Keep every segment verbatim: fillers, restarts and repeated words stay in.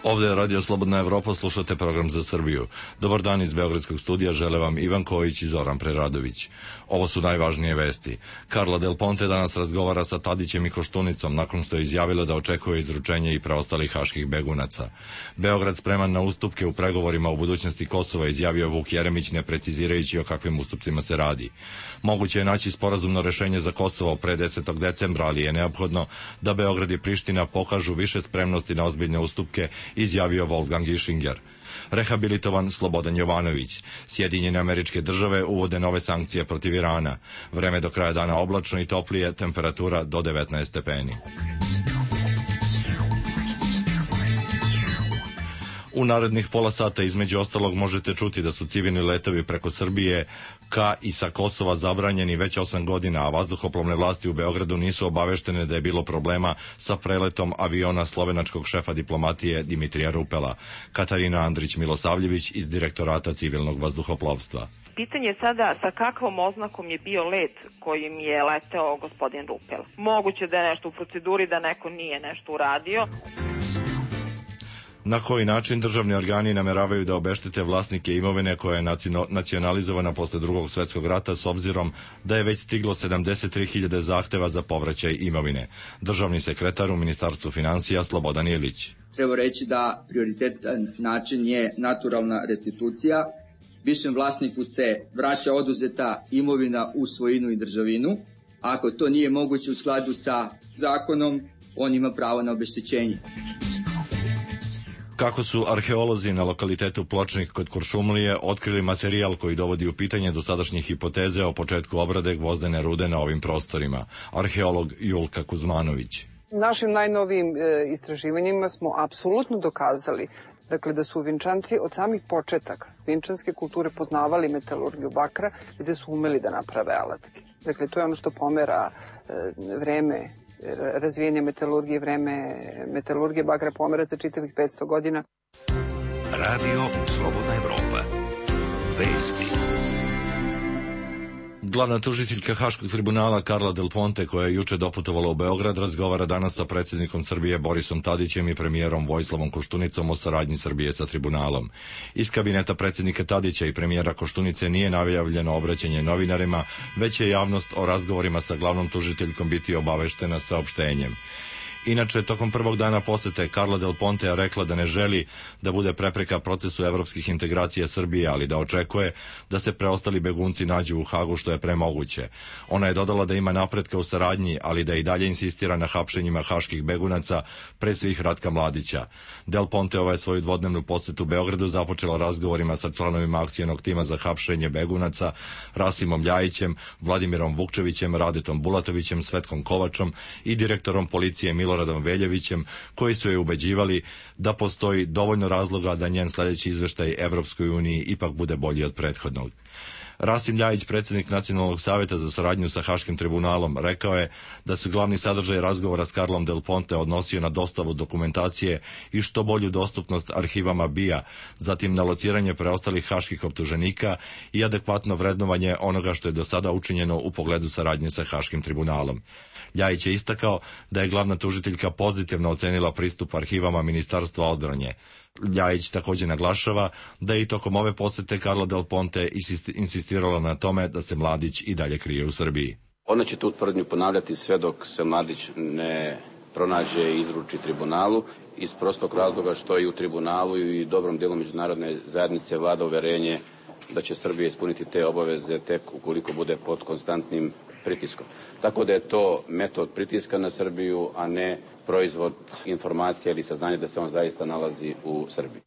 Ovde je Radio Slobodna Evropa, slušate program za Srbiju. Dobar dan iz Beogradskog studija, žele vam Ivan Kojić i Zoran Preradović. Ovo su najvažnije vesti. Carla Del Ponte danas razgovara sa Tadićem i Koštunicom nakon što je izjavila da očekuje izručenje i preostalih haških begunaca. Beograd spreman na ustupke u pregovorima o budućnosti Kosova, izjavio Vuk Jeremić, ne precizirajući o kakvim ustupcima se radi. Moguće je naći sporazumno rešenje za Kosovo pre desetog decembra, ali je neophodno da Beograd i Priština pokažu više spremnosti na ozbiljne ustupke, izjavio Wolfgang Ischinger. Rehabilitovan Slobodan Jovanović. Sjedinjene Američke Države uvode nove sankcije protiv Irana. Vreme do kraja dana oblačno i toplije, temperatura do devetnaest stepeni. U narednih pola sata između ostalog možete čuti da su civilni letovi preko Srbije ka i sa Kosova zabranjeni već osam godina, a vazduhoplovne vlasti u Beogradu nisu obaveštene da je bilo problema sa preletom aviona slovenačkog šefa diplomatije Dimitrija Rupela. Katarina Andrić-Milosavljević iz Direktorata civilnog vazduhoplovstva. Pitanje je sada sa kakvom oznakom je bio let kojim je leteo gospodin Rupel. Moguće da je nešto u proceduri, da neko nije nešto uradio. Na koji način državni organi nameravaju da obeštete vlasnike imovine koja je nacionalizovana posle drugog svetskog rata, s obzirom da je već stiglo sedamdeset tri hiljade zahteva za povraćaj imovine. Državni sekretar u Ministarstvu finansija Slobodan Ilić. Treba reći da prioritetan način je naturalna restitucija. Višem vlasniku se vraća oduzeta imovina u svojinu i državinu. Ako to nije moguće u skladu sa zakonom, on ima pravo na obeštećenje. Kako su arheolozi na lokalitetu Pločnik kod Kuršumlije otkrili materijal koji dovodi u pitanje dosadašnje hipoteze o početku obrade gvozdene rude na ovim prostorima. Arheolog Julka Kuzmanović. Našim najnovijim e, istraživanjima smo apsolutno dokazali dakle, da su Vinčanci od samih početaka vinčanske kulture poznavali metalurgiju bakra i da su umeli da naprave alatke. Dakle, to je ono što pomera e, vreme razvijenja metalurgije, vreme metalurgije bakra pomera za čitavih petsto godina. Radio Slobodna Evropa. Vesti. Glavna tužiteljka Haškog tribunala Carla Del Ponte, koja je juče doputovala u Beograd, razgovara danas sa predsjednikom Srbije Borisom Tadićem i premijerom Vojislavom Koštunicom o saradnji Srbije sa tribunalom. Iz kabineta predsjednika Tadića i premijera Koštunice nije najavljeno obraćanje novinarima, već je javnost o razgovorima sa glavnom tužiteljkom biti obaveštena saopštenjem. Inače, tokom prvog dana posete Carla Del Ponte je rekla da ne želi da bude prepreka procesu evropskih integracija Srbije, ali da očekuje da se preostali begunci nađu u Hagu što je premoguće. Ona je dodala da ima napretka u saradnji, ali da i dalje insistira na hapšenjima haških begunaca, pre svih Ratka Mladića. Del Ponte ova je svoju dvodnevnu posetu Beogradu započela razgovorima sa članovima akcionog tima za hapšenje begunaca, Rasimom Ljajićem, Vladimirom Vukčevićem, Radetom Bulatovićem, Svetkom Kovačom i direktorom policije Milo Radom Veljevićem, koji su je ubeđivali da postoji dovoljno razloga da njen sljedeći izveštaj Evropskoj uniji ipak bude bolji od prethodnog. Rasim Ljajić, predsjednik Nacionalnog savjeta za saradnju sa Haškim tribunalom, rekao je da se glavni sadržaj razgovora s Carlom Del Ponte odnosio na dostavu dokumentacije i što bolju dostupnost arhivama B I A, zatim na lociranje preostalih haških optuženika i adekvatno vrednovanje onoga što je do sada učinjeno u pogledu saradnje sa Haškim tribunalom. Ljajić je istakao da je glavna tužiteljka pozitivno ocenila pristup arhivama Ministarstva odbrane. Ljajić također naglašava da je i tokom ove posete Carla Del Ponte insistirala na tome da se Mladić i dalje krije u Srbiji. Ona će tu tvrdnju ponavljati sve dok se Mladić ne pronađe i izruči tribunalu, iz prostog razloga što i u tribunalu i dobrom dijelu međunarodne zajednice vlada uverenje da će Srbija ispuniti te obaveze tek ukoliko bude pod konstantnim pritiskom. Tako da je to metod pritiska na Srbiju, a ne proizvod informacija ili saznanja da se on zaista nalazi u Srbiji.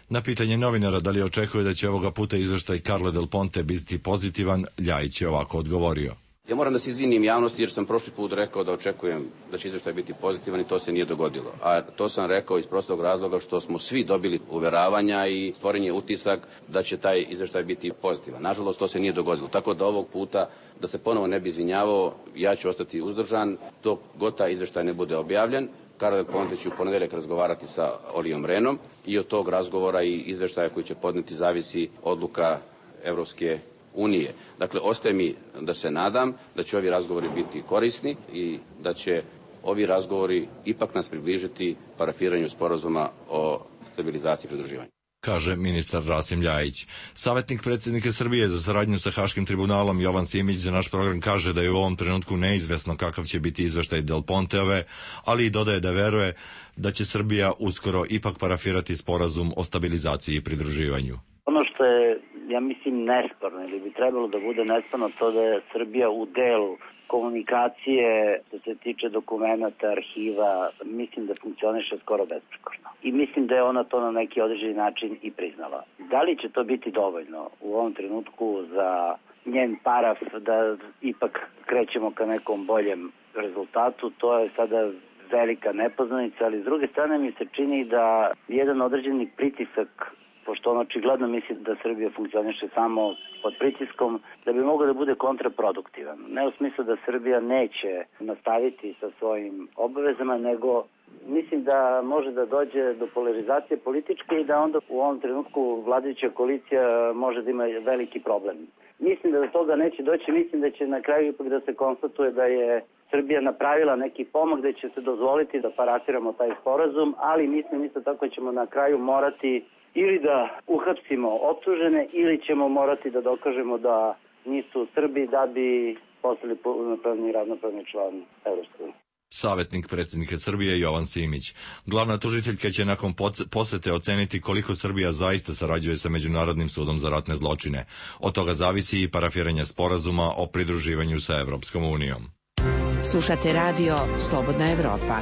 Na pitanje novinara da li očekuje da će ovoga puta izveštaj Carle Del Ponte biti pozitivan, Ljajić je ovako odgovorio. Ja moram da se izvinim javnosti jer sam prošli put rekao da očekujem da će izveštaj biti pozitivan i to se nije dogodilo. A to sam rekao iz prostog razloga što smo svi dobili uveravanja i stvoren je utisak da će taj izveštaj biti pozitivan. Nažalost, to se nije dogodilo. Tako da ovog puta, da se ponovo ne bi izvinjavao, ja ću ostati uzdržan dok god taj izveštaj ne bude objavljen. Carla Del Ponte će u ponedeljak razgovarati sa Olijom Renom i od tog razgovora i izveštaja koji će podneti zavisi odluka Evropske unije. Dakle, ostaje mi da se nadam da će ovi razgovori biti korisni i da će ovi razgovori ipak nas približiti parafiranju sporazuma o stabilizacije i pridruživanja. Kaže ministar Rasim Ljajić. Savjetnik predsjednika Srbije za saradnju sa Haškim tribunalom Jovan Simić za naš program kaže da je u ovom trenutku neizvesno kakav će biti izveštaj Del Ponteove, ali i dodaje da veruje da će Srbija uskoro ipak parafirati sporazum o stabilizaciji i pridruživanju. Ono što je, ja mislim, nesporno ili bi trebalo da bude nesporno to da je Srbija u delu komunikacije, što se tiče dokumenta, arhiva, mislim da funkcioniše skoro besprekorno. I mislim da je ona to na neki određeni način i priznala. Da li će to biti dovoljno u ovom trenutku za njen paraf da ipak krećemo ka nekom boljem rezultatu, to je sada velika nepoznanica, ali s druge strane mi se čini da jedan određeni pritisak, pošto on očigledno misli da Srbija funkcioniše samo pod pritiskom, da bi mogao da bude kontraproduktivan. Ne u smislu da Srbija neće nastaviti sa svojim obavezama, nego mislim da može da dođe do polarizacije političke i da onda u ovom trenutku vladajuća koalicija može da ima veliki problem. Mislim da do toga neće doći, mislim da će na kraju ipak da se konstatuje da je Srbija napravila neki pomak, da će se dozvoliti da parafiramo taj sporazum, ali mislim isto tako ćemo na kraju morati ili da uhapsimo optužene ili ćemo morati da dokažemo da nisu Srbi da bi postali punopravni i ravnopravni član Evropske unije. Savjetnik predsjednika Srbije Jovan Simić. Glavna tužiteljka će nakon posete oceniti koliko Srbija zaista sarađuje sa Međunarodnim sudom za ratne zločine. Od toga zavisi i parafiranje sporazuma o pridruživanju sa Evropskom unijom. Slušate radio Slobodna Evropa.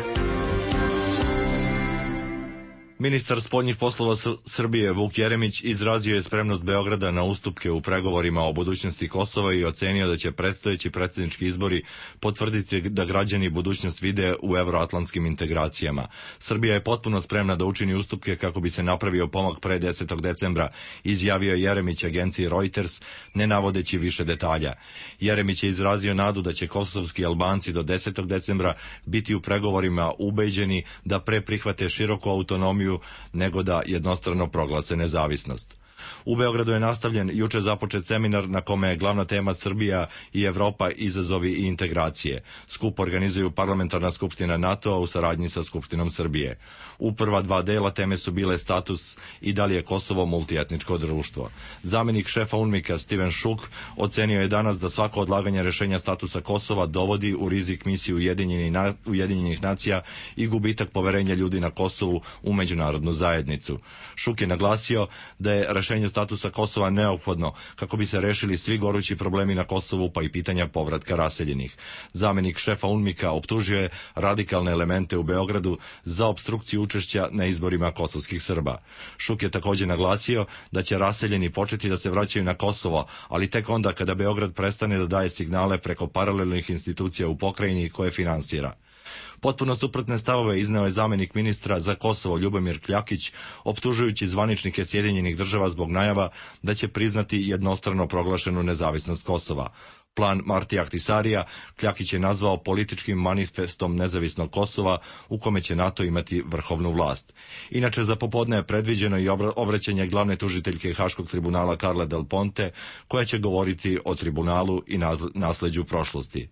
Ministar spoljnih poslova Srbije Vuk Jeremić izrazio je spremnost Beograda na ustupke u pregovorima o budućnosti Kosova i ocenio da će predstojeći predsjednički izbori potvrditi da građani budućnost vide u evroatlantskim integracijama. Srbija je potpuno spremna da učini ustupke kako bi se napravio pomak pre desetog decembra, izjavio Jeremić agenciji Reuters, ne navodeći više detalja. Jeremić je izrazio nadu da će kosovski Albanci do desetog decembra biti u pregovorima ubeđeni da pre prihvate široku autonomiju nego da jednostrano proglase nezavisnost. U Beogradu je nastavljen juče započet seminar na kome je glavna tema Srbija i Evropa, izazovi i integracije. Skup organizuju Parlamentarna skupština NATO-a u saradnji sa Skupštinom Srbije. U prva dva dela teme su bile status i da li je Kosovo multietničko društvo. Zamenik šefa UNMIK-a Steven Šuk ocenio je danas da svako odlaganje rešenja statusa Kosova dovodi u rizik misiju Ujedinjenih nacija i gubitak poverenja ljudi na Kosovu u međunarodnu zajednicu. Šuk je naglasio da je rešenje statusa Kosova neophodno kako bi se rešili svi gorući problemi na Kosovu pa i pitanja povratka raseljenih. Zamenik šefa UNMIK-a optužio je radikalne elemente u Beogradu za opstrukciju učešća na izborima kosovskih Srba. Šuk je također naglasio da će raseljeni početi da se vraćaju na Kosovo, ali tek onda kada Beograd prestane da daje signale preko paralelnih institucija u pokrajini koje finansira. Potpuno suprotne stavove izneo je zamenik ministra za Kosovo Ljubomir Kljakić, optužujući zvaničnike Sjedinjenih država zbog najava da će priznati jednostrano proglašenu nezavisnost Kosova. Plan Marti Ahtisarija Kljakić je nazvao političkim manifestom nezavisnog Kosova u kome će NATO imati vrhovnu vlast. Inače, za popodne je predviđeno i obraćanje glavne tužiteljke Haškog tribunala Carle Del Ponte, koja će govoriti o tribunalu i nasleđu prošlosti.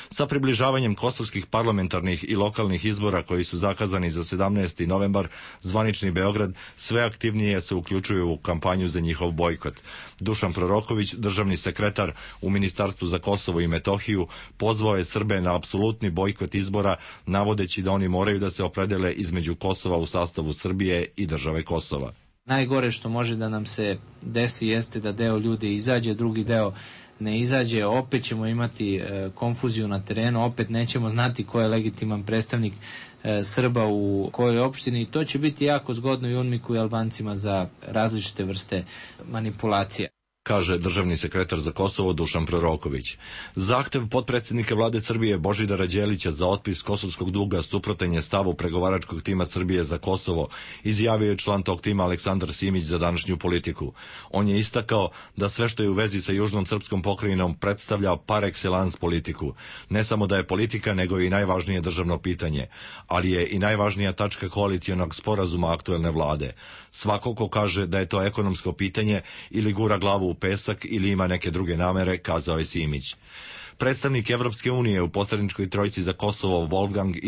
Sa približavanjem kosovskih parlamentarnih i lokalnih izbora koji su zakazani za sedamnaesti novembar, zvanični Beograd sve aktivnije se uključuje u kampanju za njihov bojkot. Dušan Proroković, državni sekretar u Ministarstvu za Kosovo i Metohiju, pozvao je Srbe na apsolutni bojkot izbora, navodeći da oni moraju da se opredele između Kosova u sastavu Srbije i države Kosova. Najgore što može da nam se desi jeste da deo ljudi izađe, drugi deo ne izađe, opet ćemo imati e, konfuziju na terenu, opet nećemo znati ko je legitiman predstavnik e, Srba u kojoj opštini i to će biti jako zgodno i UNMIK-u i Albancima za različite vrste manipulacije, kaže državni sekretar za Kosovo Dušan Proroković. Zahtev potpredsjednika vlade Srbije Božidara Đelića za otpis kosovskog duga suprotan je stavu pregovaračkog tima Srbije za Kosovo, izjavio je član tog tima Aleksandar Simić za današnju Politiku. On je istakao da sve što je u vezi sa južnom srpskom pokrajinom predstavlja par excellence politiku. Ne samo da je politika, nego i najvažnije državno pitanje, ali je i najvažnija tačka koalicijonog sporazuma aktuelne vlade. Svako ko kaže da je to ekonomsko pitanje ili gura glavu u pesak ili ima neke druge namere, kazao je Simić. Predstavnik Evropske unije u posredničkoj trojci za Kosovo Wolfgang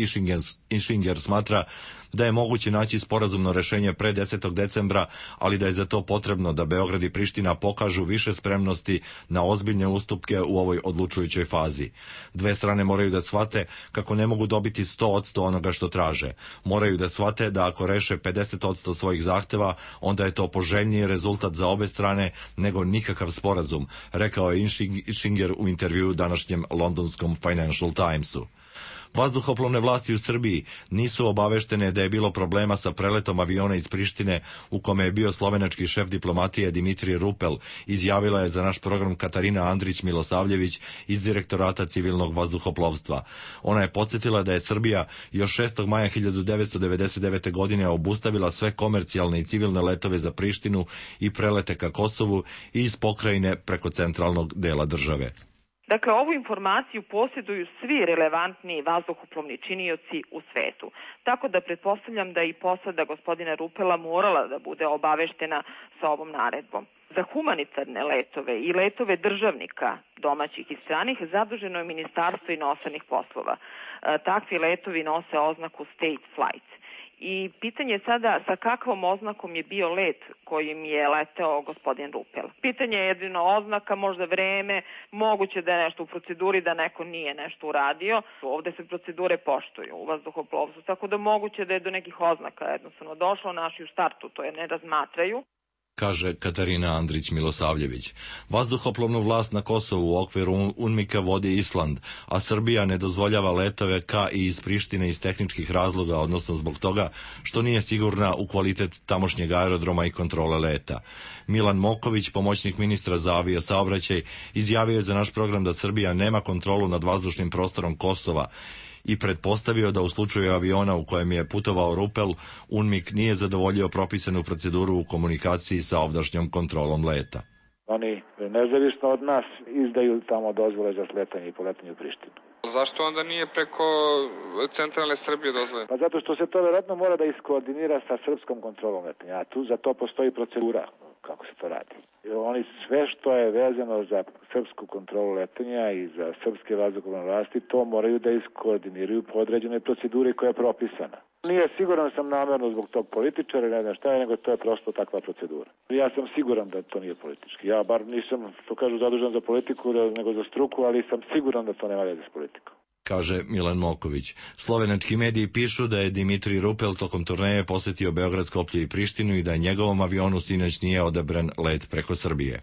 Ischinger smatra da je moguće naći sporazumno rešenje pre desetog decembra, ali da je za to potrebno da Beograd i Priština pokažu više spremnosti na ozbiljne ustupke u ovoj odlučujućoj fazi. Dve strane moraju da shvate kako ne mogu dobiti sto posto onoga što traže. Moraju da shvate da ako reše pedeset posto svojih zahteva, onda je to poželjniji rezultat za obe strane nego nikakav sporazum, rekao je Inschinger u intervjuu današnjem londonskom Financial Timesu. Vazduhoplovne vlasti u Srbiji nisu obaveštene da je bilo problema sa preletom aviona iz Prištine u kome je bio slovenački šef diplomatije Dimitrij Rupel, izjavila je za naš program Katarina Andrić-Milosavljević iz Direktorata civilnog vazduhoplovstva. Ona je podsjetila da je Srbija još šestog maja hiljadu devetsto devedeset devete. godine obustavila sve komercijalne i civilne letove za Prištinu i prelete ka Kosovu i iz pokrajine preko centralnog dela države. Dakle, ovu informaciju posjeduju svi relevantni vazduhoplovni činioci u svetu. Tako da pretpostavljam da i posada gospodina Rupela morala da bude obaveštena sa ovom naredbom. Za humanitarne letove i letove državnika domaćih i stranih zaduženo je Ministarstvo inostranih poslova. Takvi letovi nose oznaku State Flights. I pitanje je sada sa kakvom oznakom je bio let kojim je leteo gospodin Rupel. Pitanje je jedino oznaka, možda vreme, moguće da je nešto u proceduri, da neko nije nešto uradio. Ovde se procedure poštuju u vazduhoplovstvu, tako da moguće da je do nekih oznaka jednostavno došlo, naši u startu to je ne razmatraju, kaže Katarina Andrić-Milosavljević. Vazduhoplovnu vlast na Kosovu u okviru UNMIK-a vodi Island, a Srbija ne dozvoljava letove ka i iz Prištine iz tehničkih razloga, odnosno zbog toga što nije sigurna u kvalitet tamošnjeg aerodroma i kontrole leta. Milan Moković, pomoćnik ministra za aviosaobraćaj, izjavio je za naš program da Srbija nema kontrolu nad vazdušnim prostorom Kosova i pretpostavio da u slučaju aviona u kojem je putovao Rupel, UNMIK nije zadovoljio propisanu proceduru u komunikaciji sa ovdašnjom kontrolom leta. Oni nezavisno od nas izdaju tamo dozvole za sletanje i poletanje u Prištinu. Zašto onda nije preko centralne Srbije dozvole? Pa zato što se to vjerojatno mora da iskoordinira sa srpskom kontrolom letanja, a tu za to postoji procedura kako se to radi. Oni sve što je vezano za srpsku kontrolu letanja i za srpske vazduhoplovne vlasti, to moraju da iskoordiniraju po određenoj proceduri koja je propisana. Nije siguran sam namerno zbog tog političara, ne znam šta je, nego to je prosto takva procedura. Ja sam siguran da to nije politički. Ja bar nisam, što kažu, zadužen za politiku, nego za struku, ali sam siguran da to nema veze s politikom, kaže Milan Moković. Slovenački mediji pišu da je Dimitrij Rupel tokom turneje posetio Beograd, Skoplje i Prištinu i da je njegovom avionu sinoć nije odabran let preko Srbije.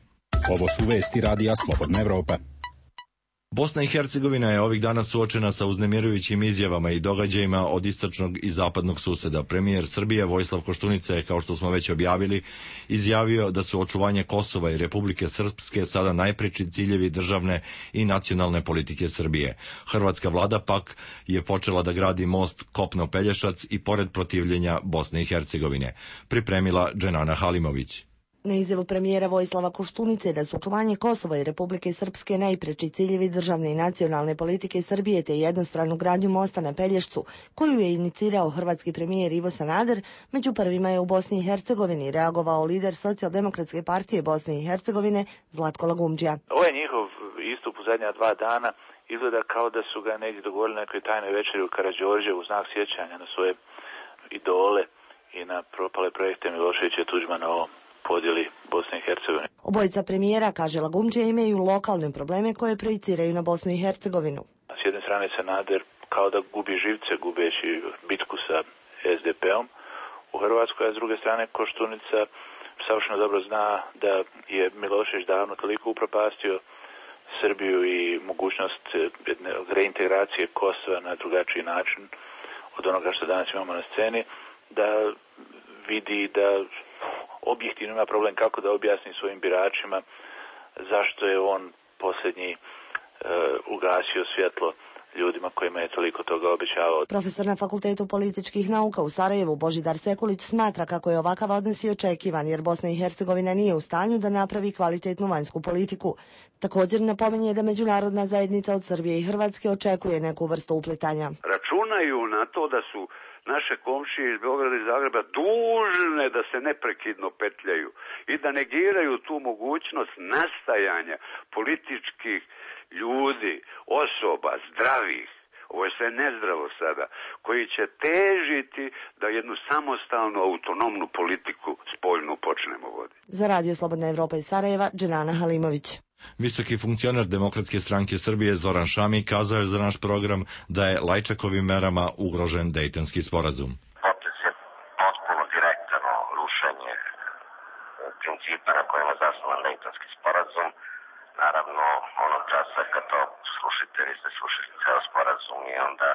Ovo su vesti Radija Slobodna Evropa. Bosna i Hercegovina je ovih dana suočena sa uznemirujućim izjavama i događajima od istočnog i zapadnog suseda. Premijer Srbije Vojislav Koštunica je, kao što smo već objavili, izjavio da su očuvanje Kosova i Republike Srpske sada najpreči ciljevi državne i nacionalne politike Srbije. Hrvatska vlada pak je počela da gradi most Kopno-Pelješac i pored protivljenja Bosne i Hercegovine. Pripremila Dženana Halimović. Na izjavu premijera Vojislava Koštunice da su očuvanje Kosova i Republike Srpske najpreči ciljevi državne i nacionalne politike Srbije te jednostranu gradnju mosta na Pelješcu, koju je inicirao hrvatski premijer Ivo Sanader, među prvima je u Bosni i Hercegovini reagovao lider Socijaldemokratske partije Bosne i Hercegovine Zlatko Lagumdžija. Ovaj njihov istup u zadnja dva dana izgleda kao da su ga negdje dogovorili na nekoj tajnoj večeri u Karađorđe u znak sjećanja na svoje idole i na propale projekte Miloševića i Tuđmana o podjeli Bosne i Hercegovine. Obojica premijera, kaže Lagumdžija, imaju lokalne probleme koje projiciraju na Bosnu i Hercegovinu. S jedne strane Sanader kao da gubi živce gubeći bitku sa es de pe om u Hrvatskoj, a s druge strane Koštunica savršeno dobro zna da je Milošević davno toliko upropastio Srbiju i mogućnost jedne reintegracije Kosova na drugačiji način od onoga što danas imamo na sceni, da vidi da objektivno ima problem kako da objasni svojim biračima zašto je on posljednji e, ugasio svjetlo ljudima kojima je toliko toga obećavao. Profesor na Fakultetu političkih nauka u Sarajevu Božidar Sekulić smatra kako je ovakav odnos i očekivan, jer Bosna i Hercegovina nije u stanju da napravi kvalitetnu vanjsku politiku. Također napominje da međunarodna zajednica od Srbije i Hrvatske očekuje neku vrstu upletanja. Računaju na to da su naše komšije iz Beograda i Zagreba dužne da se neprekidno petljaju i da negiraju tu mogućnost nastajanja političkih ljudi, osoba, zdravih ovo je sve nezdravo sada, koji će težiti da jednu samostalnu, autonomnu politiku spoljnu počnemo voditi. Za Radio Slobodna Evropa iz Sarajeva, Dženana Halimović. Visoki funkcioner Demokratske stranke Srbije Zoran Šami kazao je za naš program da je Lajčakovim merama ugrožen Dejtonski sporazum. Potez je potpuno direktno rušenje principa na kojima je zasnovan Dejtonski sporazum. Naravno, onog časa kad to slušite, vi ste slušali ceo sporazum i onda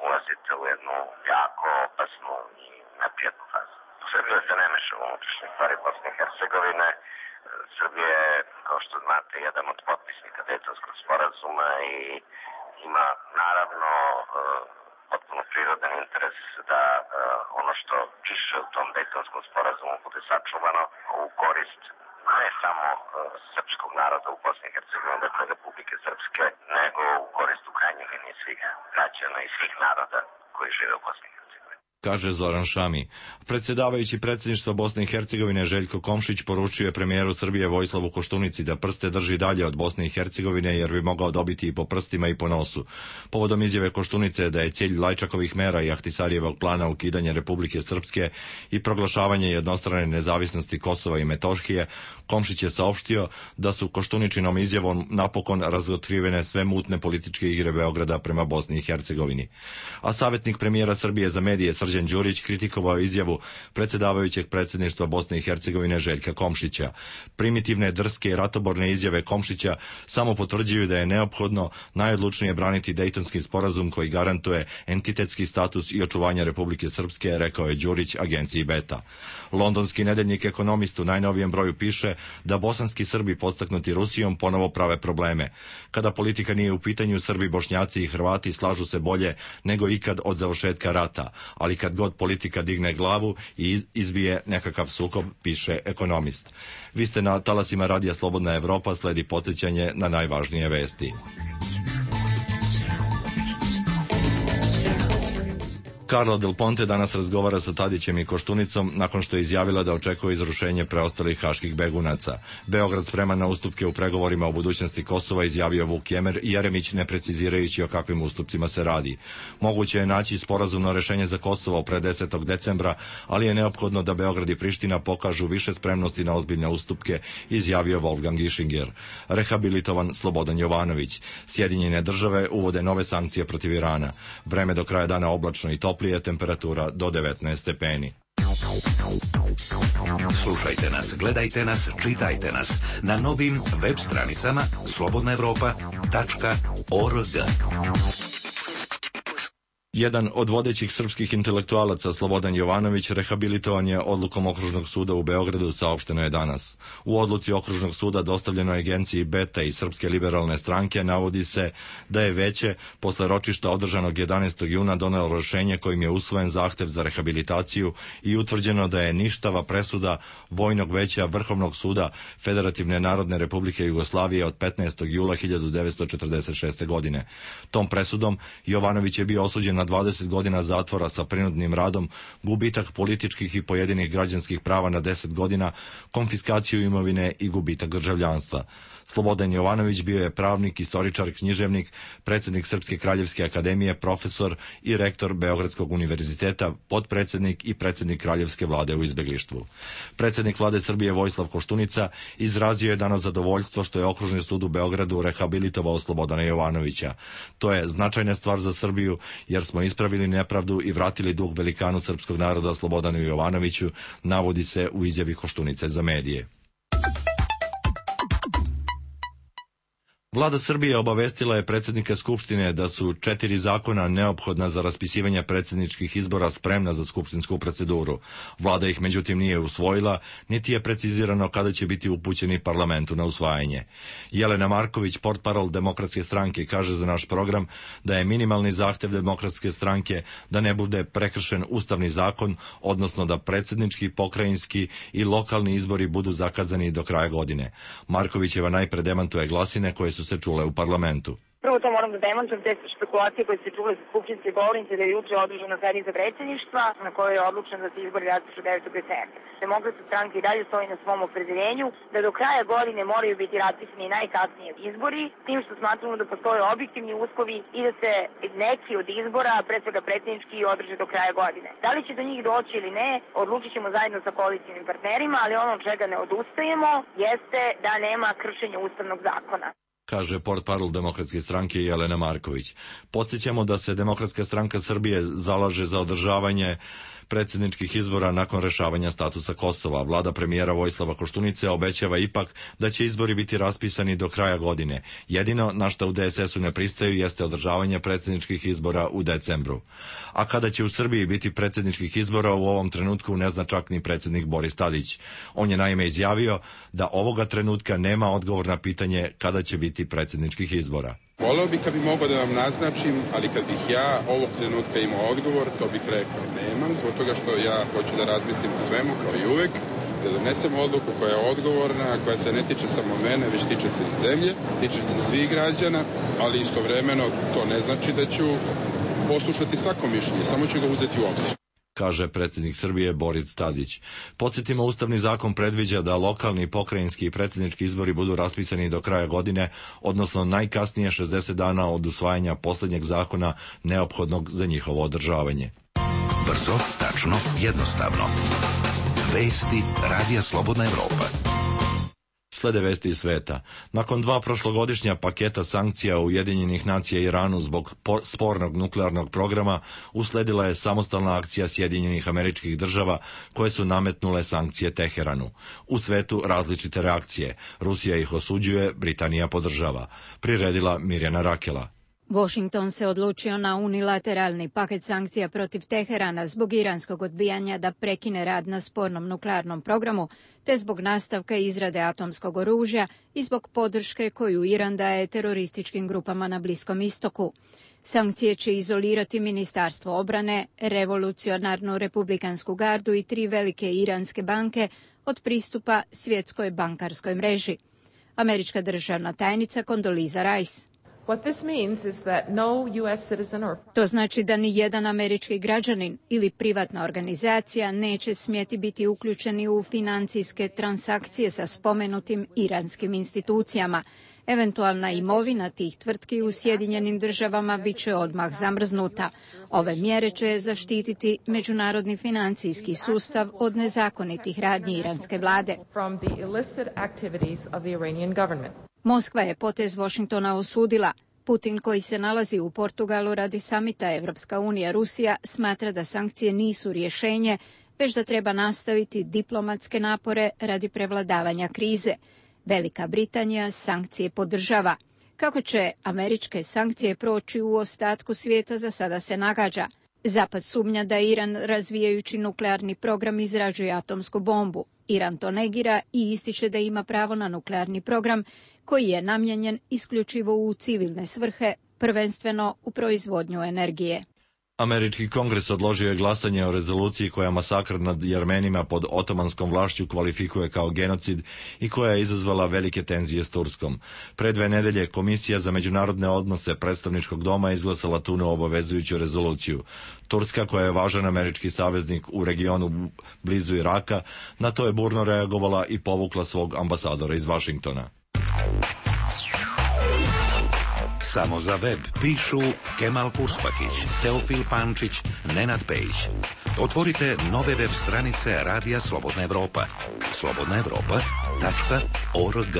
ulazite u jednu jako opasnu i neprijatnu fazu. Srbija se ne meša u unutrašnje stvari Bosne i Hercegovine. Srbija je, kao što znate, jedan od potpisnika Dejtonskog sporazuma i ima naravno potpuno prirodan interes da ono što piše u tom Dejtonskom sporazumu bude sačuvano u korist ne samo srpskog naroda u Bosni i Hercegovini, dakle Republike Srpske, nego u korist u krajnjoj liniji svih građana i svih naroda koji žive u Bosni i Hercegovini. Kaže Zoran Šami. Predsjedavajući predsjedništva Bosne i Hercegovine Željko Komšić poručio je premijeru Srbije Vojislavu Koštunici da prste drži dalje od Bosne i Hercegovine jer bi mogao dobiti i po prstima i po nosu. Povodom izjave Koštunice da je cilj Lajčakovih mera i Ahtisarijevog plana ukidanje Republike Srpske i proglašavanje jednostrane nezavisnosti Kosova i Metohije, Komšić je saopštio da su Koštuničinom izjavom napokon razotkrivene sve mutne političke igre Beograda prema Bosni i Hercegovini. A savjetnik premijera Srbije za medije Srđan Đurić kritikovao izjavu predsjedavajućeg predsjedništva Bosne i Hercegovine Željka Komšića. Primitivne, drske i ratoborne izjave Komšića samo potvrđuju da je neophodno najodlučnije braniti Dejtonski sporazum koji garantuje entitetski status i očuvanje Republike Srpske, rekao je Đurić agenciji Beta. Londonski nedeljnik Ekonomist u najnovijem broju piše da bosanski Srbi podstaknuti Rusijom ponovo prave probleme. Kada politika nije u pitanju, Srbi, Bošnjaci i Hrvati slažu se bolje nego ikad od završetka rata, ali kad god politika digne glavu i izbije nekakav sukob, piše Ekonomist. Vi ste na talasima Radija Slobodna Evropa, sledi podsjećanje na najvažnije vesti. Carla Del Ponte danas razgovara sa Tadićem i Koštunicom nakon što je izjavila da očekuje izrušenje preostalih haških begunaca. Beograd spreman na ustupke u pregovorima o budućnosti Kosova, izjavio Vuk Jeremić, ne precizirajući o kakvim ustupcima se radi. Moguće je naći sporazumno rešenje za Kosovo pre desetog decembra, ali je neophodno da Beograd i Priština pokažu više spremnosti na ozbiljne ustupke, izjavio Wolfgang Ischinger. Rehabilitovan Slobodan Jovanović. Sjedinjene države uvode nove sankcije protiv Irana. Vreme do kraja dana oblačno i toplo, je temperatura do devetnaest stepeni. Slušajte nas, gledajte nas, čitajte nas na novim web stranicama slobodna evropa tačka org. Jedan od vodećih srpskih intelektualaca, Slobodan Jovanović, rehabilitovan je odlukom Okružnog suda u Beogradu, saopšteno je danas. U odluci Okružnog suda dostavljenoj agenciji Beta i Srpske liberalne stranke navodi se da je veće posle ročišta održanog jedanaestog juna donelo rešenje kojim je usvojen zahtev za rehabilitaciju i utvrđeno da je ništava presuda Vojnog veća Vrhovnog suda Federativne Narodne Republike Jugoslavije od petnaestog jula hiljadu devetsto četrdeset šeste. godine. Tom presudom Jovanović je bio osuđen na dvadeset godina zatvora sa prinudnim radom, gubitak političkih i pojedinih građanskih prava na deset godina, konfiskaciju imovine i gubitak državljanstva. Slobodan Jovanović bio je pravnik, istoričar, književnik, predsjednik Srpske kraljevske akademije, profesor i rektor Beogradskog univerziteta, potpredsjednik i predsjednik kraljevske vlade u izbeglištvu. Predsjednik vlade Srbije Vojislav Koštunica izrazio je danas zadovoljstvo što je Okružni sud u Beogradu rehabilitovao Slobodana Jovanovića. To je značajna stvar za Srbiju jer smo ispravili nepravdu i vratili dug velikanu srpskog naroda Slobodanu Jovanoviću, navodi se u izjavi Koštunice za medije. Vlada Srbije obavestila je predsjednika Skupštine da su četiri zakona neophodna za raspisivanje predsjedničkih izbora spremna za skupštinsku proceduru. Vlada ih međutim nije usvojila, niti je precizirano kada će biti upućeni parlamentu na usvajanje. Jelena Marković, portparol Demokratske stranke, kaže za naš program da je minimalni zahtev Demokratske stranke da ne bude prekršen ustavni zakon, odnosno da predsjednički, pokrajinski i lokalni izbori budu zakazani do kraja godine. Markovićeva najpre demantuje glasine koje su se čule u parlamentu. Prvo to moram da demantujem, te špekulacije koje se čule sa skupštinske govornice da je juče održana sednica predsjedništva na kojoj je odlučeno da se izbori raspišu devetog decembra. Demokratska stranka i dalje stoji na svom opredeljenju da do kraja godine moraju biti raspisani najkasnije izbori, tim što smatramo da postoje objektivni uslovi i da se neki od izbora, pre svega predsjednički, održe do kraja godine. Da li će do njih doći ili ne, odlučit ćemo zajedno sa koalicijnim partnerima, ali ono od čega ne odustajemo jeste da nema kršenja ustavnog zakona, kaže portparol Demokratske stranke Jelena Marković. Podsjećamo da se Demokratska stranka Srbije zalaže za održavanje predsjedničkih izbora nakon rešavanja statusa Kosova. Vlada premijera Vojislava Koštunice obećava ipak da će izbori biti raspisani do kraja godine. Jedino na što u D S S-u ne pristaju jeste održavanje predsjedničkih izbora u decembru. A kada će u Srbiji biti predsjedničkih izbora, u ovom trenutku ne zna čak ni predsjednik Boris Tadić. On je naime izjavio da ovoga trenutka nema odgovor na pitanje kada će biti predsjedničkih izbora. Voleo bih kad bi mogao da vam naznačim, ali kad bih ja ovog trenutka imao odgovor, to bih rekao nemam, zbog toga što ja hoću da razmislim o svemu kao i uvek, da donesem odluku koja je odgovorna, koja se ne tiče samo mene, već tiče se i zemlje, tiče se svih građana, ali istovremeno to ne znači da ću poslušati svako mišljenje, samo ću ga uzeti u obzir, kaže predsjednik Srbije Boris Tadić. Podsjetimo, Ustavni zakon predviđa da lokalni, pokrajinski i predsjednički izbori budu raspisani do kraja godine, odnosno najkasnije šezdeset dana od usvajanja posljednjeg zakona neophodnog za njihovo održavanje. Brzo, tačno, jednostavno. Vesti Radija Slobodna Evropa. Slede vesti iz sveta. Nakon dva prošlogodišnja paketa sankcija Ujedinjenih nacija Iranu zbog spornog nuklearnog programa, usledila je samostalna akcija Sjedinjenih Američkih Država koje su nametnule sankcije Teheranu. U svetu različite reakcije. Rusija ih osuđuje, Britanija podržava. Priredila Mirjana Rakela. Washington se odlučio na unilateralni paket sankcija protiv Teherana zbog iranskog odbijanja da prekine rad na spornom nuklearnom programu, te zbog nastavka izrade atomskog oružja i zbog podrške koju Iran daje terorističkim grupama na Bliskom istoku. Sankcije će izolirati Ministarstvo obrane, Revolucionarnu republikansku gardu i tri velike iranske banke od pristupa svjetskoj bankarskoj mreži. Američka državna tajnica Condoleezza Rice. To znači da ni jedan američki građanin ili privatna organizacija neće smjeti biti uključeni u financijske transakcije sa spomenutim iranskim institucijama. Eventualna imovina tih tvrtki u Sjedinjenim Državama bit će odmah zamrznuta. Ove mjere će zaštititi međunarodni financijski sustav od nezakonitih radnji iranske vlade. Moskva je potez Washingtona osudila. Putin, koji se nalazi u Portugalu radi samita Evropska unija Rusija, smatra da sankcije nisu rješenje, već da treba nastaviti diplomatske napore radi prevladavanja krize. Velika Britanija sankcije podržava. Kako će američke sankcije proći u ostatku svijeta, za sada se nagađa. Zapad sumnja da Iran, razvijajući nuklearni program, izrađuje atomsku bombu. Iran to negira i ističe da ima pravo na nuklearni program koji je namijenjen isključivo u civilne svrhe, prvenstveno u proizvodnju energije. Američki kongres odložio je glasanje o rezoluciji koja masakr nad Jermenima pod otomanskom vlašću kvalifikuje kao genocid i koja je izazvala velike tenzije s Turskom. Pre dve nedelje Komisija za međunarodne odnose predstavničkog doma izglasala tu neobavezujuću rezoluciju. Turska, koja je važan američki saveznik u regionu blizu Iraka, na to je burno reagovala i povukla svog ambasadora iz Vašingtona. Samo za web pišu Kemal Purspahić, Teofil Pančić, Nenad Pejić. Otvorite nove web stranice Radija Slobodna Evropa. slobodna evropa tačka org.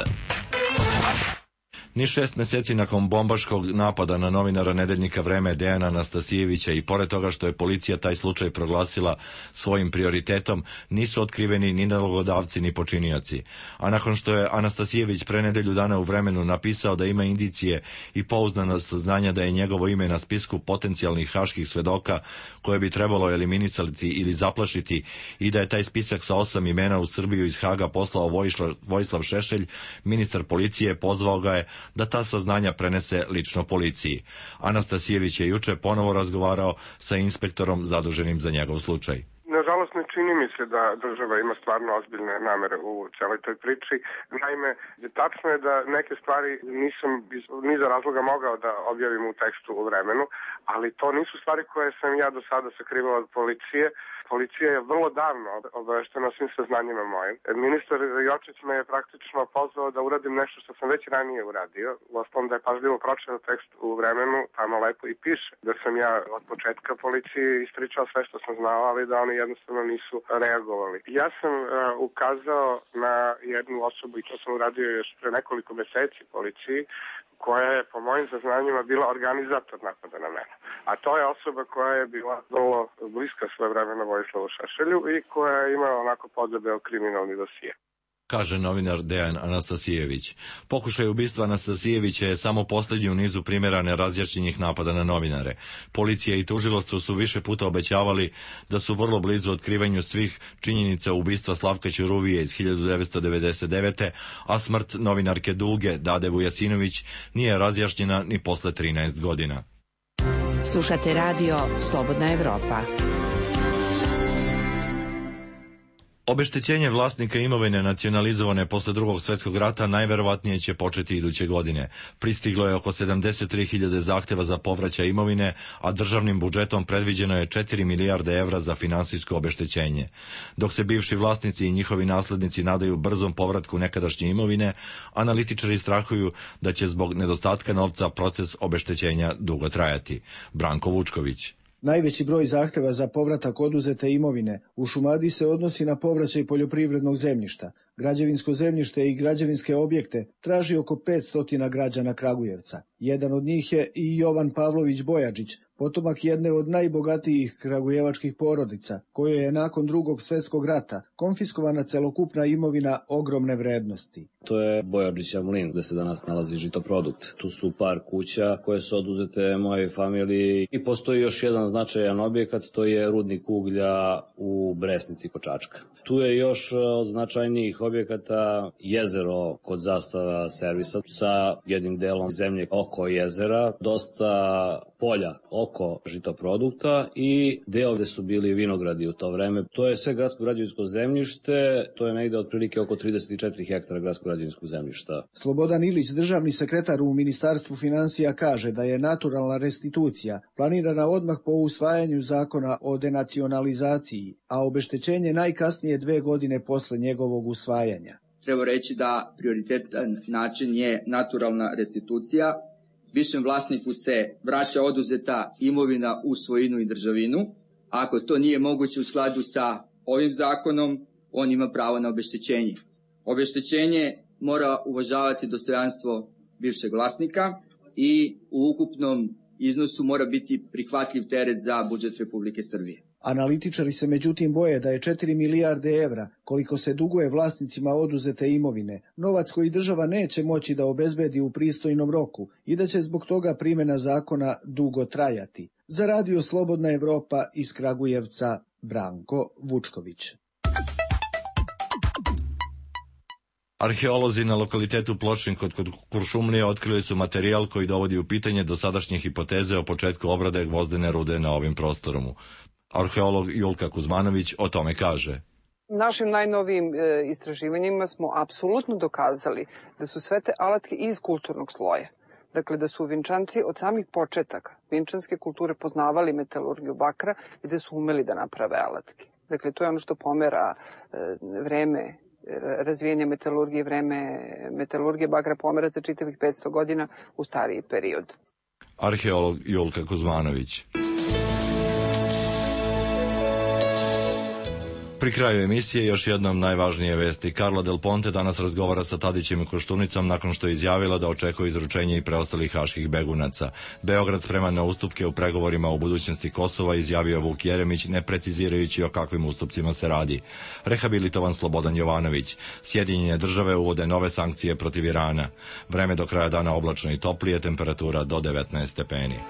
Ni šest mjeseci nakon bombaškog napada na novinara nedeljnika Vreme Dejana Anastasijevića i pored toga što je policija taj slučaj proglasila svojim prioritetom, nisu otkriveni ni nalogodavci ni počinioci. A nakon što je Anastasijević pre nedelju dana u Vremenu napisao da ima indicije i pouzdana saznanja da je njegovo ime na spisku potencijalnih haških svedoka koje bi trebalo eliminisati ili zaplašiti i da je taj spisak sa osam imena u Srbiju iz Haga poslao Vojislav, Vojislav Šešelj, ministar policije pozvao ga je da ta saznanja prenese lično policiji. Anastasijević je juče ponovo razgovarao sa inspektorom zaduženim za njegov slučaj. Nažalost, Nažalost, ne čini mi se da država ima stvarno ozbiljne namere u celoj toj priči. Naime, tačno je da neke stvari nisam iz niza razloga mogao da objavim u tekstu u Vremenu, ali to nisu stvari koje sam ja do sada sakrivao od policije. Policija je vrlo davno obaveštena o svim saznanjima mojim. Ministar Jočić me je praktično pozvao da uradim nešto što sam već ranije uradio. Uostalom da je pažljivo pročitao tekst u Vremenu, tamo lepo i piše da sam ja od početka policiji ispričao sve što sam znao, ali da oni jednostavno nisu reagovali. Ja sam uh, ukazao na jednu osobu, i to sam uradio još pre nekoliko meseci policiji, koja je po mojim saznanjima bila organizator napada na mene. A to je osoba koja je bila vrlo bliska svojevremeno Vojislavu Šešelju i koja je imala onako podebeo kriminalni dosije. Kaže novinar Dejan Anastasijević. Pokušaj ubistva Anastasijevića je samo posljednji u nizu primjera nerazjašnjenih napada na novinare. Policija i tužilaštvo su više puta obećavali da su vrlo blizu otkrivanju svih činjenica ubistva Slavka Ćuruvije iz hiljadu devetsto devedeset devete. a smrt novinarke Dulge Dade Vujasinović nije razjašnjena ni posle trinaest godina. Slušate radio Slobodna Evropa. Obeštećenje vlasnika imovine nacionalizovane posle drugog svjetskog rata najverovatnije će početi iduće godine. Pristiglo je oko sedamdeset tri hiljade zahteva za povraćaj imovine, a državnim budžetom predviđeno je četiri milijarde evra za finansijsko obeštećenje. Dok se bivši vlasnici i njihovi naslednici nadaju brzom povratku nekadašnje imovine, analitičari strahuju da će zbog nedostatka novca proces obeštećenja dugo trajati. Branko Vučković. Najveći broj zahteva za povratak oduzete imovine u Šumadiji se odnosi na povraćaj poljoprivrednog zemljišta. Građevinsko zemljište i građevinske objekte traži oko petsto građana Kragujevca. Jedan od njih je i Jovan Pavlović Bojačić, potomak jedne od najbogatijih kragujevačkih porodica, kojoj je nakon drugog svjetskog rata konfiskovana celokupna imovina ogromne vrednosti. To je Bojačića mlin gde se danas nalazi žitoprodukt. Tu su par kuća koje su oduzete mojoj familiji i postoji još jedan značajan objekat, to je rudnik uglja u Bresnici kod Čačka. Tu je još od značajnijih objekata jezero kod Zastava servisa sa jednim delom zemlje oko jezera, dosta polja oko žitoprodukta i deo gde su bili vinogradi u to vreme. To je sve gradsko građevinsko zemljište, to je negde otprilike oko trideset četiri hektara gradsko građevinskog zemljišta. Slobodan Ilić, državni sekretar u Ministarstvu finansija, kaže da je naturalna restitucija planirana odmah po usvajanju zakona o denacionalizaciji, a obeštećenje najkasnije dve godine posle njegovog usvajanja. Treba reći da prioritetan način je naturalna restitucija. Bivšem vlasniku se vraća oduzeta imovina u svojinu i državinu. Ako to nije moguće u skladu sa ovim zakonom, on ima pravo na obeštećenje. Obeštećenje mora uvažavati dostojanstvo bivšeg vlasnika i u ukupnom iznosu mora biti prihvatljiv teret za budžet Republike Srbije. Analitičari se međutim boje da je četiri milijarde evra, koliko se duguje vlasnicima oduzete imovine, novac koji država neće moći da obezbedi u pristojnom roku i da će zbog toga primjena zakona dugo trajati. Za radio Slobodna Evropa iz Kragujevca, Branko Vučković. Arheolozi na lokalitetu Pločnik kod Kuršumlije otkrili su materijal koji dovodi u pitanje dosadašnje hipoteze o početku obrade gvozdene rude na ovim prostorom. Arheolog Julka Kuzmanović o tome kaže. Našim najnovijim e, istraživanjima smo apsolutno dokazali da su sve te alatke iz kulturnog sloja. Dakle, da su Vinčanci od samih početaka vinčanske kulture poznavali metalurgiju bakra i da su umeli da naprave alatke. Dakle, to je ono što pomera e, vreme razvijenja metalurgije, vreme metalurgije bakra pomera za čitavih petsto godina u stariji period. Arheolog Julka Kuzmanović. Pri kraju emisije još jednom najvažnije vesti. Carla Del Ponte danas razgovara sa Tadićem i Koštunicom nakon što je izjavila da očekuje izručenje i preostalih haških begunaca. Beograd spreman na ustupke u pregovorima o budućnosti Kosova, izjavio Vuk Jeremić, ne precizirajući o kakvim ustupcima se radi. Rehabilitovan Slobodan Jovanović. Sjedinjene države uvode nove sankcije protiv Irana. Vreme do kraja dana oblačno i toplije, temperatura do devetnaest stepeni.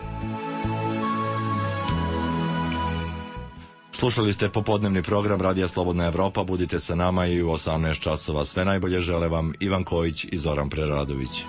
Slušali ste popodnevni program Radija Slobodna Evropa. Budite sa nama i u osamnaest časova. Sve najbolje žele vam Ivan Kojić i Zoran Preradović.